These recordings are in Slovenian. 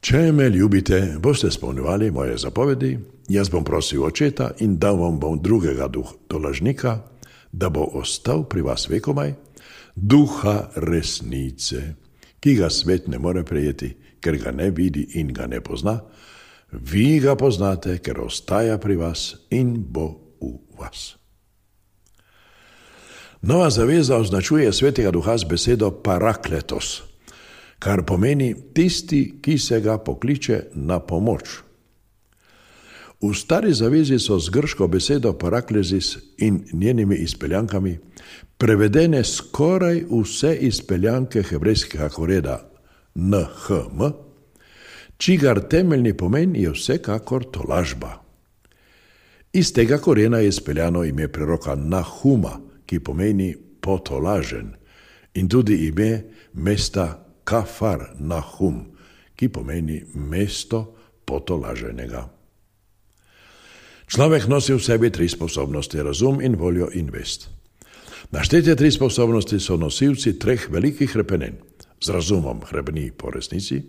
Če me ljubite, boste spolnjevali moje zapovedi, jaz bom prosil očeta in dal vam bom drugega tolažnika, da bo ostal pri vas vekomaj, duha resnice, ki ga svet ne more prejeti, ker ga ne vidi in ga ne pozna. Vi ga poznate, ker ostaja pri vas in bo v vas. Nova zaveza označuje svetega duha z besedo parakletos, kar pomeni tisti, ki se ga pokliče na pomoč. V stari zavezi so z grško besedo paraklezis in njenimi izpeljankami prevedene skoraj vse izpeljanke hebrejskega koreda NHM, čigar temeljni pomen je vsekakor tolažba. Iz tega korena je izpeljano ime preroka Nahuma, ki pomeni potolažen, in tudi ime mesta Kafar Nahum, ki pomeni mesto potolaženega. Človek nosi v sebi 3 sposobnosti, razum in voljo in vest. Naštete 3 sposobnosti so nosilci 3 velikih hrepenenj. Z razumom hrebeni po resnici,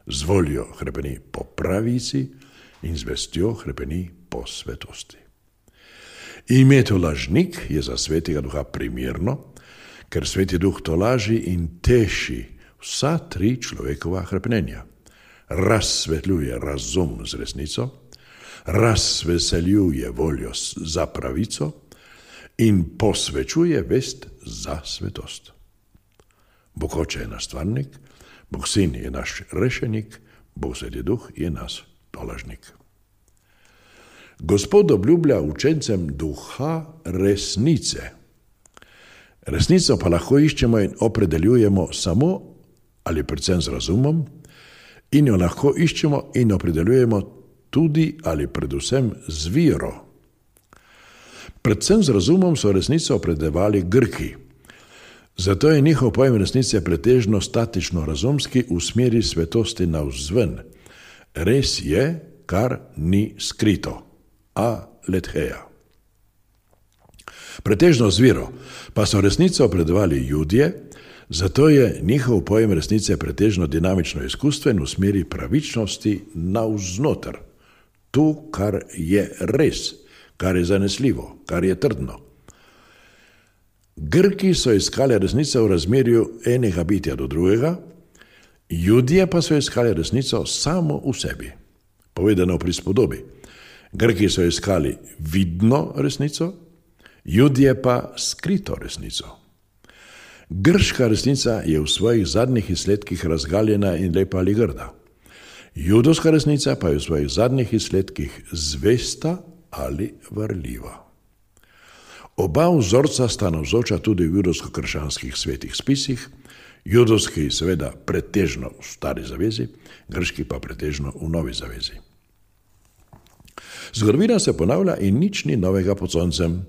z voljo hrebeni po pravici in z vestjo hrebeni po svetosti. Ime tolažnik je za svetega duha primirno, ker sveti duh tolaži in teši vsa 3 človekova hrepenenja. Razsvetljuje razum z resnico, razveseljuje voljo za pravico in posvečuje vest za svetost. Bog Oče je naš stvarnik, Bog Sin je naš rešenik, Bog Sveti Duh je naš tolažnik. Gospod obljublja učencem duha resnice. Resnico pa lahko iščemo in opredeljujemo samo ali predvsem z razumom, in jo lahko iščemo in opredeljujemo tudi ali predvsem z vero. Predvsem z razumom so resnico opredeljevali Grki. Zato je njihov pojem resnice pretežno statično razumski v smeri svetosti navzven. Res je, kar ni skrito. Aletheia. Pretežno z vero pa so resnico opredeljevali Judje, zato je njihov pojem resnice pretežno dinamično izkustven v smeri pravičnosti navznoter. To, kar je res, kar je zanesljivo, kar je trdno. Grki so iskali resnico v razmerju enega bitja do drugega, Judje pa so iskali resnico samo v sebi. Povedano v prispodobi. Grki so iskali vidno resnico, Judje pa skrito resnico. Grška resnica je v svojih zadnjih izsledkih razgaljena in lepa ali grda. Judovska resnica pa je v svojih zadnjih izsledkih zvesta ali varljiva. Oba vzorca sta navzoča tudi v judovsko-krščanskih svetih spisih, judovski seveda pretežno v stari zavezi, grški pa pretežno v novi zavezi. Zgodovina se ponavlja in nič ni novega pod soncem.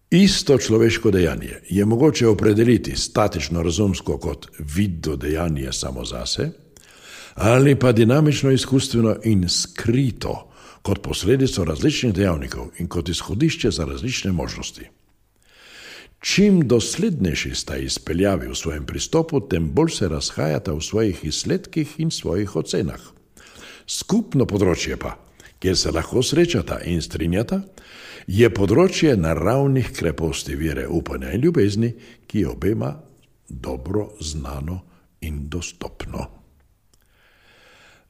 Isto človeško dejanje je mogoče opredeliti statično razumsko kot vidno dejanje samo zase, ali pa dinamično izkustveno in skrito kot posledico različnih dejavnikov in kot izhodišče za različne možnosti. Čim doslednejši sta izpeljavi v svojem pristopu, tem bolj se razhajata v svojih izsledkih in svojih ocenah. Skupno področje pa, kjer se lahko srečata in strinjata, je področje naravnih kreposti vere, upanja in ljubezni, ki je obema dobro znano in dostopno.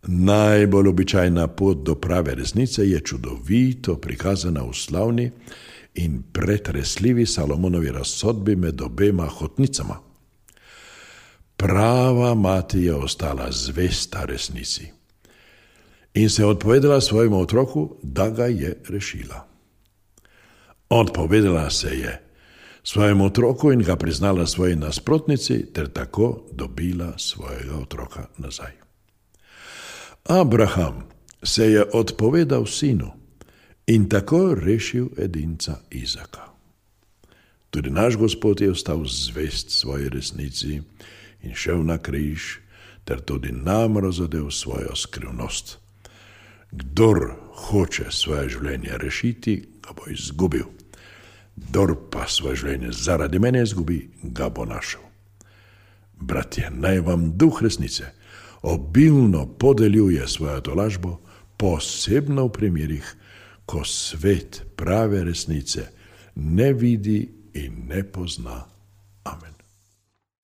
Najbolj običajna pot do prave resnice je čudovito prikazana v slavni in pretresljivi Salomonovi razsodbi med obema hotnicama. Prava mati je ostala zvesta resnici in se odpovedala svojemu otroku, da ga je rešila. Odpovedala se je svojemu otroku in ga priznala svoji nasprotnici ter tako dobila svojega otroka nazaj. Abraham se je odpovedal sinu in tako rešil edinca Izaka. Tudi naš Gospod je ostal zvest svoji resnici in šel na križ ter tudi nam razodel svojo skrivnost. Kdor hoče svoje življenje rešiti, ga bo izgubil. Kdor pa svoje življenje zaradi mene izgubi, ga bo našel. Bratje, naj vam duh resnice obilno podeljuje svojo tolažbo, posebno v primerih, ko svet prave resnice ne vidi in ne pozna.